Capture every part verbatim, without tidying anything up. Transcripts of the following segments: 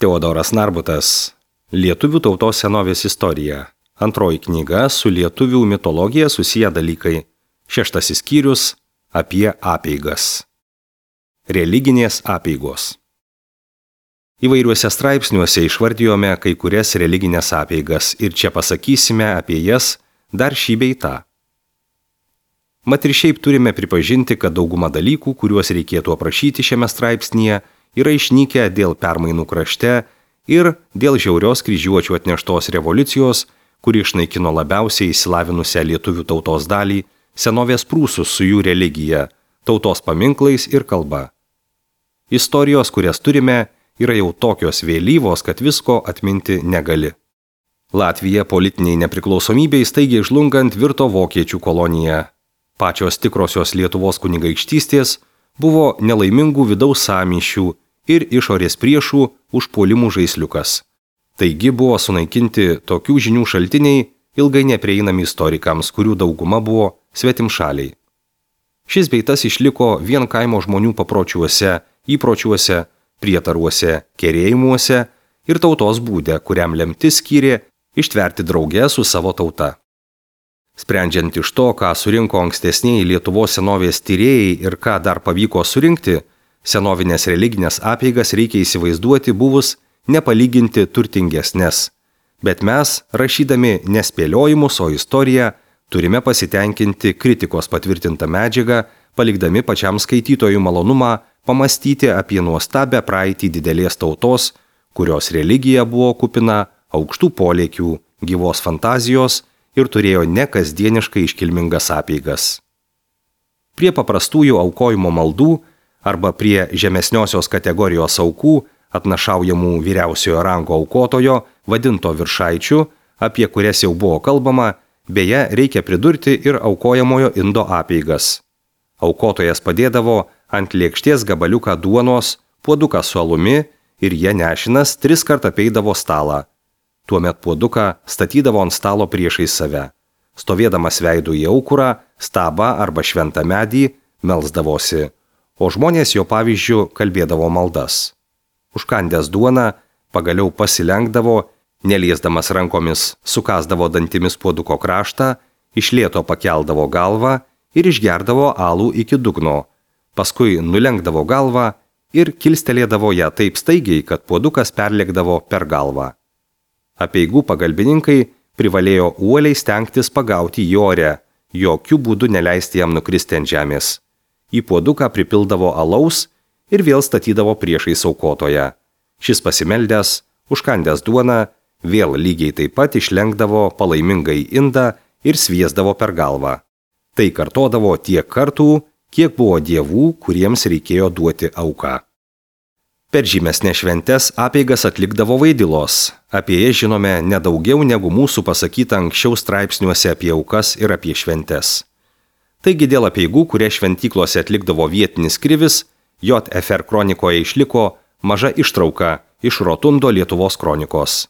Teodoras Narbutas. Lietuvių tautos senovės istorija. Antroji knyga su lietuvių mitologija susiję dalykai. Šeštasis skyrius apie apeigas. Religinės apeigos. Įvairiuose straipsniuose išvardijome kai kurias religinės apeigas ir čia pasakysime apie jas dar šį bei tą. Mat ir šiaip turime pripažinti, kad dauguma dalykų, kuriuos reikėtų aprašyti šiame straipsnyje, yra išnykę dėl permainų krašte ir dėl žiaurios kryžiuočių atneštos revoliucijos, kuri išnaikino labiausiai įsilavinusią lietuvių tautos dalį, senovės prūsus su jų religija, tautos paminklais ir kalba. Istorijos, kurias turime, yra jau tokios vėlyvos, kad visko atminti negali. Latvija politiniai nepriklausomybei staigiai žlungant virto vokiečių kolonija. Pačios tikrosios Lietuvos kunigaikštystės buvo nelaimingų vidaus sąmyšių ir išorės priešų užpuolimų žaisliukas. Taigi buvo sunaikinti tokių žinių šaltiniai, ilgai neprieinami istorikams, kurių dauguma buvo svetimšaliai. Šis bei tas išliko vien kaimo žmonių papročiuose, įpročiuose, prietaruose, kerėjimuose ir tautos būde, kuriam lemtis skyrė ištverti drauge su savo tauta. Sprendžiant iš to, ką surinko ankstesniai Lietuvos senovės tyrėjai ir ką dar pavyko surinkti, senovinės religinės apeigas reikia įsivaizduoti buvus nepalyginti turtingesnes. Bet mes, rašydami nespėliojimus, o istoriją, turime pasitenkinti kritikos patvirtintą medžiagą, palikdami pačiam skaitytojų malonumą pamastyti apie nuostabę praeitį didelės tautos, kurios religija buvo kupina aukštų polėkių, gyvos fantazijos ir turėjo nekasdieniškai iškilmingas apeigas. Prie paprastųjų aukojimo maldų arba prie žemesniosios kategorijos aukų, atnašaujamų vyriausiojo rango aukotojo, vadinto viršaičių, apie kurias jau buvo kalbama, beje, reikia pridurti ir aukojamojo indo apeigas. Aukotojas padėdavo ant lėkštės gabaliuką duonos, puoduką su alumi ir jie nešinas tris kart apeidavo stalą. Tuomet puoduką statydavo ant stalo priešais save. Stovėdamas veidu į aukurą, stabą arba šventą medį, melsdavosi, o žmonės jo pavyzdžiu kalbėdavo maldas. Užkandęs duoną, pagaliau pasilenkdavo, neliesdamas rankomis, sukasdavo dantimis puoduko kraštą, iš lėto pakeldavo galvą ir išgerdavo alų iki dugno, paskui nulenkdavo galvą ir kilstelėdavo ją taip staigiai, kad puodukas perlėkdavo per galvą. Apeigų pagalbininkai privalėjo uoliai stengtis pagauti jį ore, jokių būdų neleisti jam nukristi ant žemės. Į puoduką pripildavo alaus ir vėl statydavo priešais aukotoją. Šis pasimeldęs, užkandęs duoną, vėl lygiai taip pat išlenkdavo palaimingai indą ir sviesdavo per galvą. Tai kartodavo tiek kartų, kiek buvo dievų, kuriems reikėjo duoti auką. Per žymesnės šventes apeigas atlikdavo vaidilos. Apie jas žinome nedaugiau negu mūsų pasakyta anksčiau straipsniuose apie aukas ir apie šventes. Taigi dėl apeigų, kurie šventyklose atlikdavo vietinis krivis, J F R kronikoje išliko maža ištrauka iš Rotundo Lietuvos kronikos.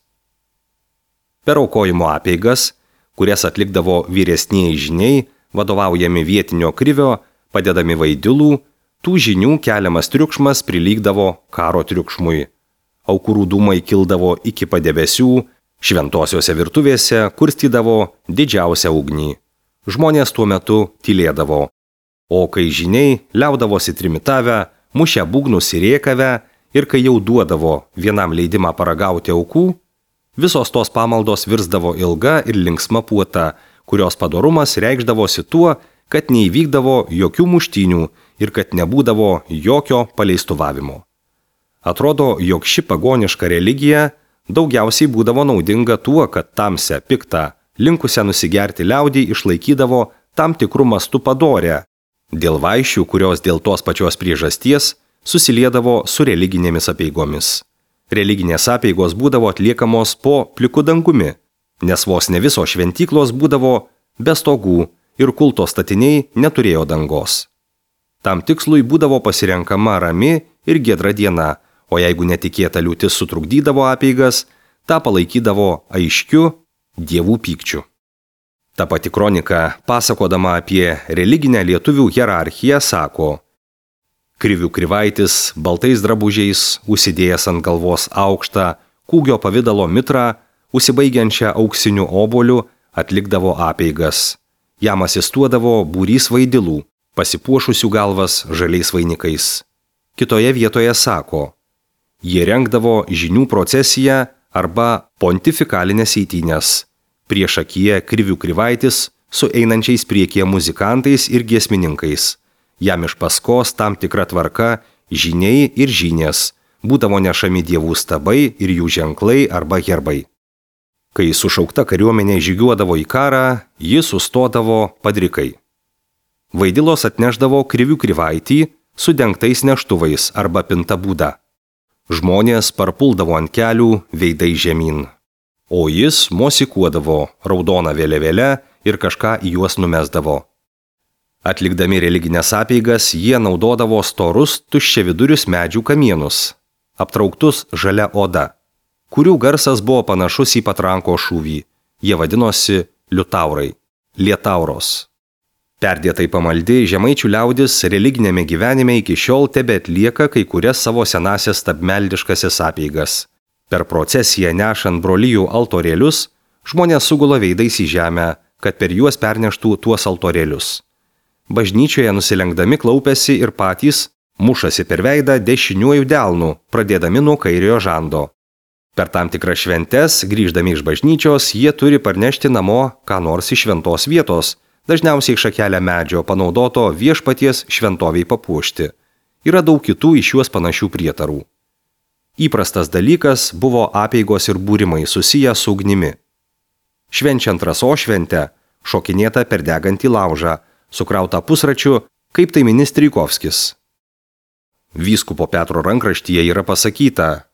Per aukojimo apeigas, kurias atlikdavo vyresnieji žiniai, vadovaujami vietinio krivio, padedami vaidilų, tų žinių keliamas triukšmas prilygdavo karo triukšmui. Aukurų dūmai kildavo iki padebesių, šventosiose virtuvėse kurstydavo didžiausią ugnį. Žmonės tuo metu tylėdavo, o kai žiniai liaudavosi trimitavę, mušę būgnus ir rėkavę ir kai jau duodavo vienam leidimą paragauti aukų, visos tos pamaldos virsdavo ilga ir linksma puota, kurios padorumas reikšdavosi tuo, kad neįvykdavo jokių muštynių ir kad nebūdavo jokio paleistuvavimo. Atrodo, jog ši pagoniška religija daugiausiai būdavo naudinga tuo, kad tamsią, piktą, linkusią nusigerti liaudį išlaikydavo tam tikrų mastų padorę, dėl vaišių, kurios dėl tos pačios priežasties susiliedavo su religinėmis apeigomis. Religinės apeigos būdavo atliekamos po pliku dangumi, nes vos ne visos šventyklos būdavo be stogų ir kulto statiniai neturėjo dangos. Tam tikslui būdavo pasirenkama rami ir giedra diena, o jeigu netikėta liūtis sutrukdydavo apeigas, tą palaikydavo aiškiu dievų pykčiu. Ta pati kronika, pasakodama apie religinę lietuvių hierarchiją, sako: Krivių Krivaitis, baltais drabužiais, užsidėjęs ant galvos aukštą, kūgio pavydalo mitrą, užsibaigiančią auksiniu obuoliu, atlikdavo apeigas. Jam asistuodavo būrys vaidilų, pasipuošusių galvas žaliais vainikais. Kitoje vietoje sako, jie rengdavo žinių procesiją arba pontifikalinės eitynės. Priešakyje Krivių Krivaitis su einančiais priekyje muzikantais ir giesmininkais. Jam iš paskos tam tikra tvarka žyniai ir žynės, būdavo nešami dievų stabai ir jų ženklai arba herbai. Kai sušaukta kariuomenė žygiuodavo į karą, jis sustodavo padrikai. Vaidilos atnešdavo Krivių Krivaitį su dengtais neštuvais arba pinta būda. Žmonės parpuldavo ant kelių veidai žemyn. O jis mosikuodavo raudoną vėliavėlę ir kažką į juos numesdavo. Atlikdami religinės apeigas, jie naudodavo storus tuščiavidurius medžių kamienus, aptrauktus žalia oda, kurių garsas buvo panašus į patranko šūvį. Jie vadinosi liutaurai, lietauros. Perdėtai pamaldi žemaičių liaudis religinėme gyvenime iki šiol tebe atlieka kai kurias savo senasias stabmeldiškasias apeigas. Per procesiją nešant brolijų altorėlius, žmonės sugula veidais į žemę, kad per juos perneštų tuos altorėlius. Bažnyčioje nusilenkdami klaupiasi ir patys mušasi per veidą dešiniuoju delnu, pradėdami nuo kairiojo žando. Per tam tikras šventes, grįždami iš bažnyčios, jie turi parnešti namo ką nors iš šventos vietos, dažniausiai šakelę medžio panaudoto viešpaties šventoviai papuošti. Yra daug kitų iš juos panašių prietarų. Įprastas dalykas buvo apeigos ir būrimai susiję su ugnimi. Švenčiant rasos šventę, šokinėta per degantį laužą, sukrauta pusračiu, kaip tai mini Strijkovskis. Vyskupo Petro rankraštyje yra pasakyta,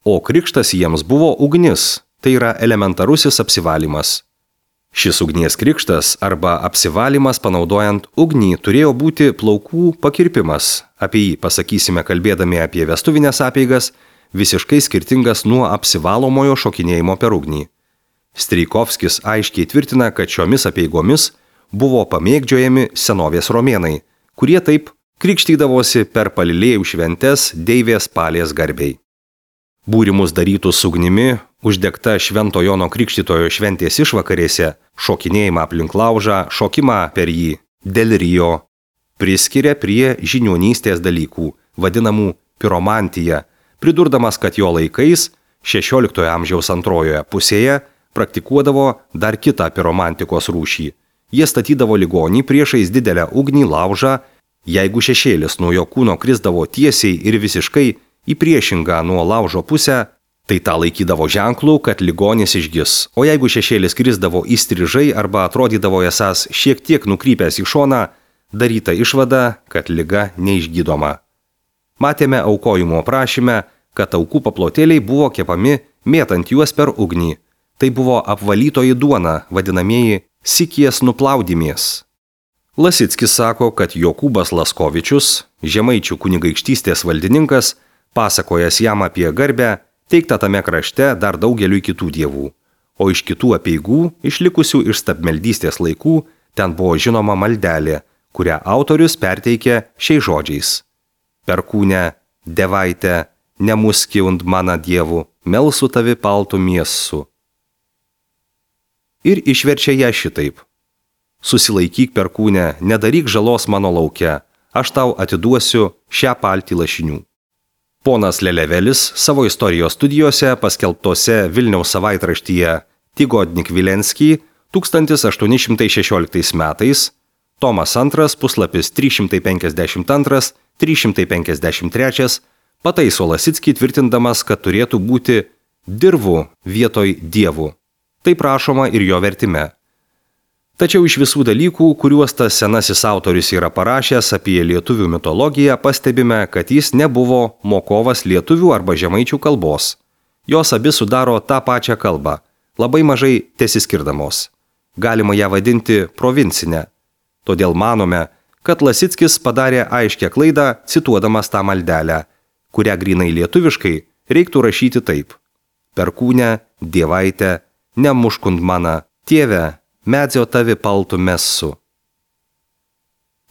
o krikštas jiems buvo ugnis, tai yra elementarusis apsivalymas. Šis ugnies krikštas arba apsivalymas panaudojant ugnį turėjo būti plaukų pakirpimas, apie jį pasakysime kalbėdami apie vestuvinės apeigas, visiškai skirtingas nuo apsivalomojo šokinėjimo per ugnį. Strijkovskis aiškiai tvirtina, kad šiomis apeigomis buvo pamėgdžiojami senovės romėnai, kurie taip krikštydavosi per palilėjų šventes deivės Palės garbei. Būrimus darytus ugnimi, uždegta Švento Jono Krikštytojo šventės išvakarėse, šokinėjimą aplink laužą, šokimą per jį, delirijo, priskiria prie žiniuonystės dalykų, vadinamų piromantija, pridurdamas, kad jo laikais, šešioliktojo amžiaus antrojoje pusėje, praktikuodavo dar kitą piromantikos rūšį. Jie statydavo ligonį priešais didelę ugnį laužą, jeigu šešėlis nuo jo kūno krisdavo tiesiai ir visiškai į priešingą nuo laužo pusę, tai tą laikydavo ženklų, kad ligonis išgis, o jeigu šešėlis krisdavo įstrižai arba atrodydavo esąs šiek tiek nukrypęs į šoną, daryta išvada, kad liga neišgydoma. Matėme aukojimo prašyme, kad aukų paplotėliai buvo kepami mėtant juos per ugnį. Tai buvo apvalytoji duona, vadinamieji sikies nuplaudimės. Lasickis sako, kad Jokūbas Laskovičius, žemaičių kunigaikštystės valdininkas, pasakojas jam apie garbę, teikta tame krašte dar daugeliui kitų dievų. O iš kitų apeigų, išlikusių iš stabmeldystės laikų, ten buvo žinoma maldelė, kurią autorius perteikė šiais žodžiais. Perkūne, devaite, nemuski und mana dievu, melsu tavi paltų miesu. Ir išverčia ją šitaip. Susilaikyk perkūne, nedaryk žalos mano lauke, aš tau atiduosiu šią paltį lašinių. Ponas Lelevelis savo istorijos studijose paskelbtose Vilniaus savaitraštyje Tygodnik Vilenskij tūkstantis aštuoni šimtai šešioliktais metais, tomas antras, puslapis trys šimtai penkiasdešimt antras, trys šimtai penkiasdešimt trečias, pataiso Lasickį tvirtindamas, kad turėtų būti dirvų vietoj dievų. Taip rašoma ir jo vertime. Tačiau iš visų dalykų, kuriuos tas senasis autorius yra parašęs apie lietuvių mitologiją, pastebime, kad jis nebuvo mokovas lietuvių arba žemaičių kalbos. Jos abi sudaro tą pačią kalbą, labai mažai tesiskirdamos. Galima ją vadinti provincinę. Todėl manome, kad Lasickis padarė aiškią klaidą, cituodamas tą maldelę, kurią grynai lietuviškai reiktų rašyti taip. Perkūne, dievaite, nemuškund mana, tėve, medzio tavi paltų messu.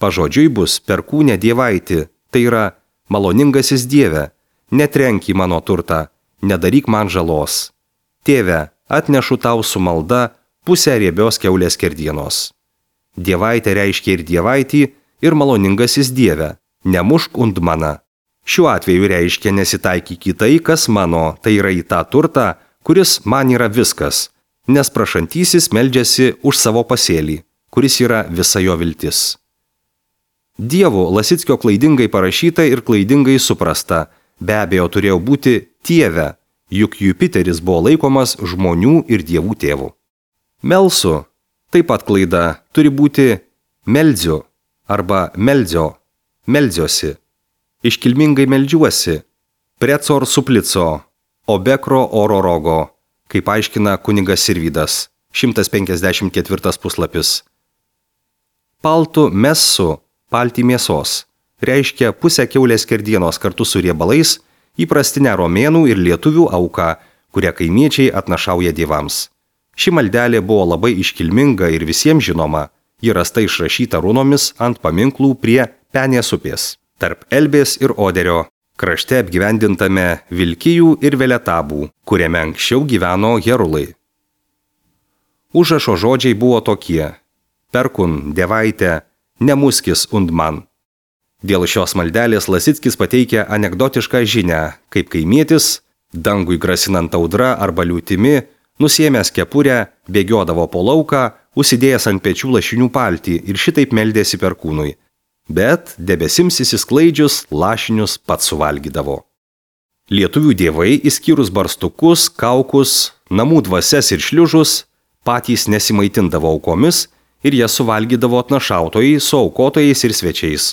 Pažodžiui bus perkūne dievaiti, Tai yra maloningasis Dieve, netrenk į mano turtą, nedaryk man žalos. Tėve, atnešu tau su malda pusę riebios kiaulės skerdienos. Dievaitė reiškia ir dievaitį, ir maloningasis Dieve, nemušk und mana. Šiuo atveju reiškia nesitaikyk į tai, kas mano, tai yra į tą turtą, kuris man yra viskas, nes prašantysis meldžiasi už savo pasėlį, kuris yra visa jo viltis. Dievo Lasickio klaidingai parašyta ir klaidingai suprasta, be abejo turėjo būti Tieve, juk Jupiteris buvo laikomas žmonių ir dievų tėvų. Melsu, taip pat klaida, turi būti meldziu arba meldzio, meldziuosi, iškilmingai meldžiuosi, precor suplico, obekro oro rogo, kaip aiškina kunigas Sirvydas, šimtas penkiasdešimt ketvirtas puslapis. Paltu messu, palti mėsos, reiškia pusę kiaulės skerdienos kartu su riebalais, įprastinę romėnų ir lietuvių auką, kurią kaimiečiai atnašauja dievams. Ši maldelė buvo labai iškilminga ir visiems žinoma, ji rasta išrašyta runomis ant paminklų prie Penės upės, tarp Elbės ir Oderio, krašte apgyvendintame Vilkijų ir Veletabų, kuriame anksčiau gyveno herulai. Užrašo žodžiai buvo tokie: perkun, dievaitė, nemuskis und man. Dėl šios maldelės Lasickis pateikia anekdotišką žinią, kaip kaimietis, dangui grasinant audra arba liūtimi, nusiėmęs kepurę, bėgiodavo po lauką, užsidėjęs ant pečių lašinių paltį ir šitaip meldėsi perkūnui. Bet debesims įsisklaidžius lašinius pats suvalgydavo. Lietuvių dievai, išskyrus barstukus, kaukus, namų dvasias ir šliužus, patys nesimaitindavo aukomis ir jas suvalgydavo atnašautojai su aukotojais ir svečiais.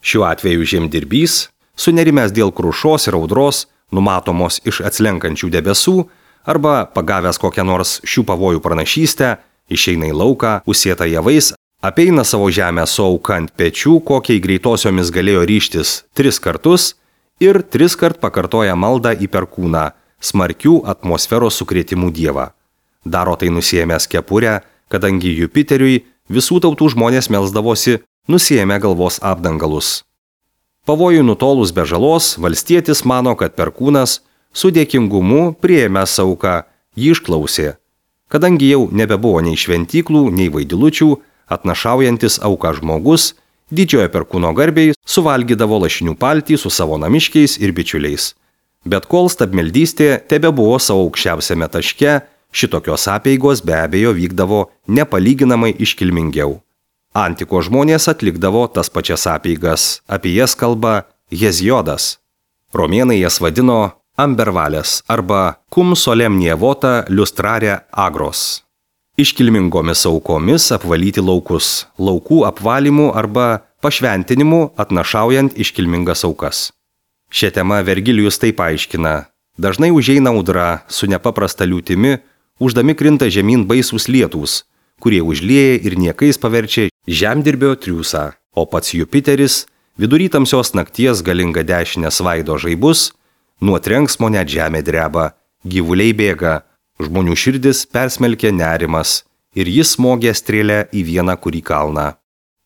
Šiuo atveju žemdirbys, sunerimęs dėl krušos ir audros, numatomos iš atslenkančių debesų, arba pagavęs kokią nors šių pavojų pranašystę, išeina į lauką, užsėta javais, apeina savo žemę su auka ant pečių, kokiai greitosiomis galėjo ryžtis tris kartus ir tris kart pakartoja maldą į perkūną, smarkių atmosferos sukrėtimų dievą. Daro tai nusiėmęs kepurę, kadangi Jupiteriui visų tautų žmonės melsdavosi nusiėmę galvos apdangalus. Pavojui nutolus be žalos, valstietis mano, kad perkūnas su dėkingumu priėmęs auką jį išklausė, kadangi jau nebebuvo nei šventyklų, nei vaidilučių, atnašaujantis auką žmogus, didžiojo perkūno garbiai suvalgydavo lašinių paltį su savo namiškiais ir bičiuliais. Bet kol stabmeldystė tebebuvo savo aukščiausiame taške, šitokios apeigos be abejo vykdavo nepalyginamai iškilmingiau. Antiko žmonės atlikdavo tas pačias apeigas, apie jas kalba Heziodas. Romėnai jas vadino ambervalės arba cum solemnia vota lustrare agros. Iškilmingomis aukomis apvalyti laukus, laukų apvalymų arba pašventinimu atnašaujant iškilmingas aukas. Šią temą Vergilijus taip aiškina: dažnai užeina audra su nepaprasta liūtimi, uždami krinta žemyn baisūs lietūs, kurie užlieja ir niekais paverčia žemdirbio triūsą, o pats Jupiteris vidury tamsios nakties galinga dešinę svaido žaibus, nuo trenksmo net žemė dreba, gyvuliai bėga, žmonių širdis persmelkia nerimas ir jis smogė strėlę į vieną kurį kalną.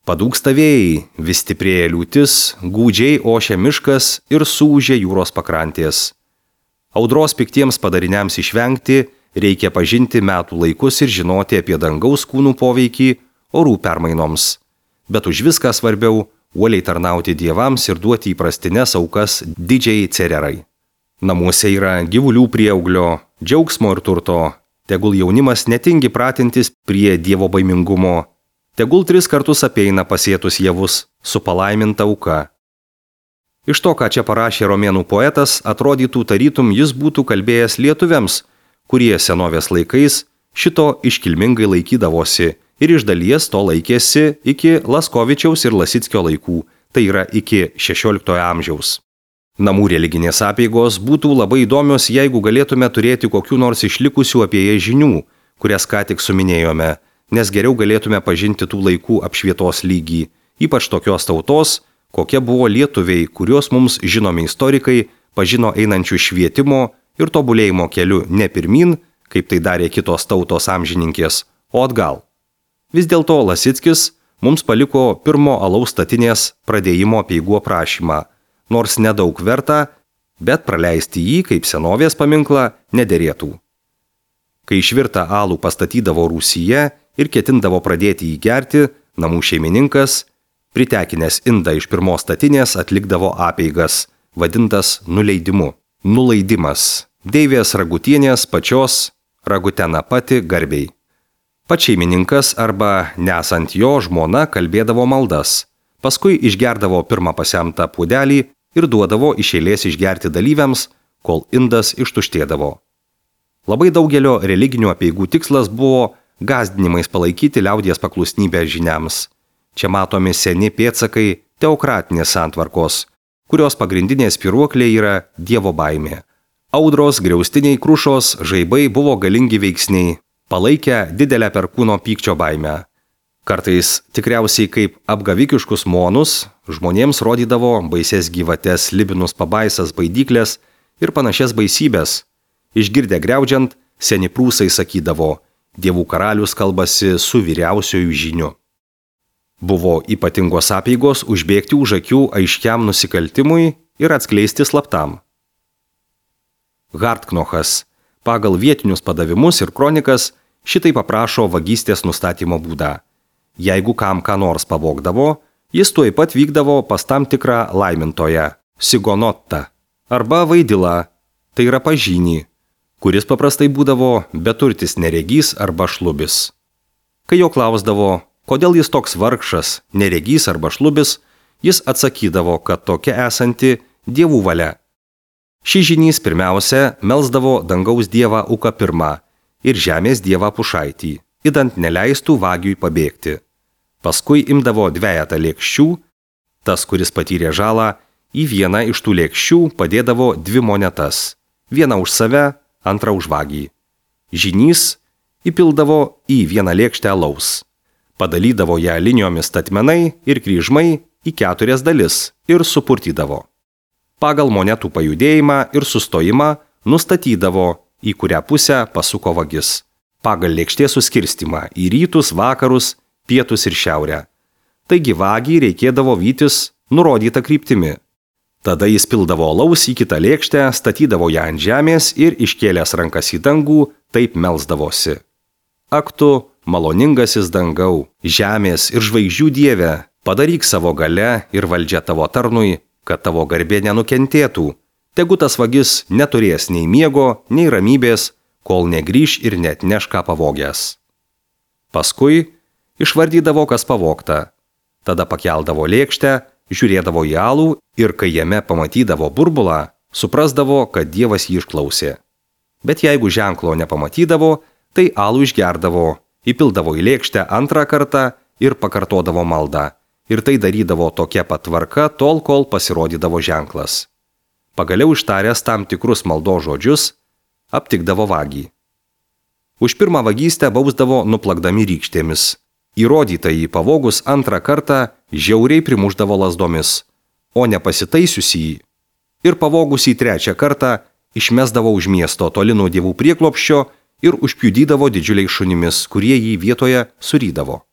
Padūksta vėjai, vis stiprėja liūtis, gūdžiai ošia miškas ir suūžia jūros pakrantės. Audros piktiems padariniams išvengti reikia pažinti metų laikus ir žinoti apie dangaus kūnų poveikį orų permainoms. Bet už viską svarbiau uoliai tarnauti dievams ir duoti įprastines aukas didžiai cererai. Namuose yra gyvulių prieauglio, džiaugsmo ir turto. Tegul jaunimas netingi pratintis prie dievo baimingumo. Tegul tris kartus apeina pasėtus javus su palaiminta auka. Iš to, ką čia parašė romėnų poetas, atrodytų tarytum jis būtų kalbėjęs lietuviams, kurie senovės laikais šito iškilmingai laikydavosi ir iš dalies to laikėsi iki Laskovičiaus ir Lasickio laikų, tai yra iki šešioliktojo amžiaus. Namų religinės apeigos būtų labai įdomios, jeigu galėtume turėti kokių nors išlikusių apie jas žinių, kurias ką tik suminėjome, nes geriau galėtume pažinti tų laikų apšvietos lygį, ypač tokios tautos, kokie buvo lietuviai, kuriuos mums žinomi istorikai pažino einančių švietimo ir tobulėjimo keliu ne pirmin, kaip tai darė kitos tautos amžininkės, o atgal. Vis dėlto Lasickis mums paliko pirmo alaus statinės pradėjimo apeigų aprašymą, nors nedaug verta, bet praleisti jį kaip senovės paminklą nederėtų. Kai išvirtą alų pastatydavo rūsyje ir ketindavo pradėti jį gerti, namų šeimininkas, pritekinęs indą iš pirmos statinės, atlikdavo apeigas, vadintas nuleidimu. Nuleidimas. Deivės Ragutienės pačios Ragutena pati garbiai. Pats šeimininkas arba nesant jo žmona kalbėdavo maldas, paskui išgerdavo pirmą pasemtą puodelį ir duodavo iš eilės išgerti dalyviams, kol indas ištuštėdavo. Labai daugelio religinių apeigų tikslas buvo gąsdinimais palaikyti liaudies paklusnybę žiniams. Čia matomi seni pėdsakai teokratinės santvarkos, kurios pagrindinė spyruoklė yra dievo baimė. Audros, griaustiniai, krušos, žaibai buvo galingi veiksniai, palaikę didelę perkūno pykčio baimę. Kartais tikriausiai kaip apgavikiškus monus žmonėms rodydavo baises gyvates, libinus pabaisas, baidyklės ir panašias baisybės. Išgirdę griaudžiant, seni prūsai sakydavo, dievų karalius kalbasi su vyriausiuoju žiniu. Buvo ypatingos apeigos užbėgti už akių aiškiam nusikaltimui ir atskleisti slaptam. Hartknochas pagal vietinius padavimus ir kronikas šitai paprašo vagystės nustatymo būdą. Jeigu kam ką nors pavogdavo, jis tuoj pat vykdavo pas tam tikrą laimintoją, sigonottą, arba vaidilą, tai yra pažynį, kuris paprastai būdavo beturtis neregys arba šlubis. Kai jo klausdavo, kodėl jis toks vargšas, neregys arba šlubis, jis atsakydavo, kad tokia esanti dievų valia. Šis žynys pirmiausia melsdavo dangaus dievą Uką pirmą ir žemės dievą Pušaitį, idant neleistų vagiui pabėgti. Paskui imdavo dvejetą lėkščių, tas, kuris patyrė žalą, į vieną iš tų lėkščių padėdavo dvi monetas, vieną už save, antrą už vagį. Žynys įpildavo į vieną lėkštę alaus, padalydavo ją linijomis statmenai ir kryžmai į keturias dalis ir supurtydavo. Pagal monetų pajudėjimą ir sustojimą nustatydavo, į kurią pusę pasuko vagis. Pagal lėkštės suskirstimą į rytus, vakarus, pietus ir šiaurę. Taigi vagį reikėdavo vytis nurodytą kryptimi. Tada jis pildavo alaus į kitą lėkštę, statydavo ją ant žemės ir iškėlęs rankas į dangų, taip melsdavosi. Ak tu, maloningasis dangau, žemės ir žvaigždžių dieve, padaryk savo galia ir valdžia tavo tarnui, kad tavo garbė nenukentėtų. Tegu tas vagis neturės nei miego, nei ramybės, kol negrįš ir net neš ką pavogęs. Paskui išvardydavo, kas pavogta. Tada pakeldavo lėkštę, žiūrėdavo į alų ir kai jame pamatydavo burbulą, suprasdavo, kad Dievas jį išklausė. Bet jeigu ženklo nepamatydavo, tai alų išgerdavo, įpildavo į lėkštę antrą kartą ir pakartodavo maldą. Ir tai darydavo tokia pat tvarka, tol, kol pasirodydavo ženklas. Pagaliau ištaręs tam tikrus maldos žodžius, aptikdavo vagį. Už pirmą vagystę bausdavo nuplakdami rykštėmis. Įrodytąjį pavogus antrą kartą žiauriai primušdavo lazdomis, o nepasitaisiusį ir pavogusį trečią kartą išmesdavo už miesto toli nuo dievų prieglobsčio ir užpjudydavo didžiuliais šunimis, kurie jį vietoje surydavo.